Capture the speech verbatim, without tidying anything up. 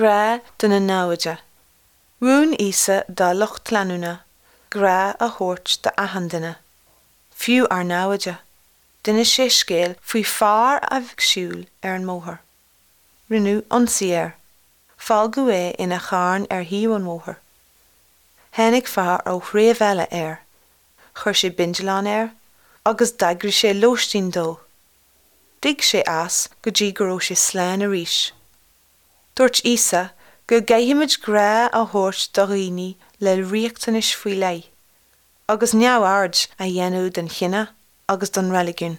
Grá do na naimhde. Mhúin Íosa dá lucht leanúna grá a thabhairt d'achan duine, fiú ár naimhde. D'inis sé scéal faoi fear a bhí ag siúl ar an mbóthar. Rinneadh ionsaí air. Fágadh é ina charn ar thaobh an bhóthair. Tháinig fear ó threibh eile air. Chuir sé bindealán air, agus d'eagraigh sé lóistín dó. D'ith sé as go dtí go raibh sé slán arís. Dúirt Íosa go gcaithfimid grá a thabhairt do dhaoine le riachtanais faoi leith, agus neamhaird a dhéanamh den chine agus don reiligiún.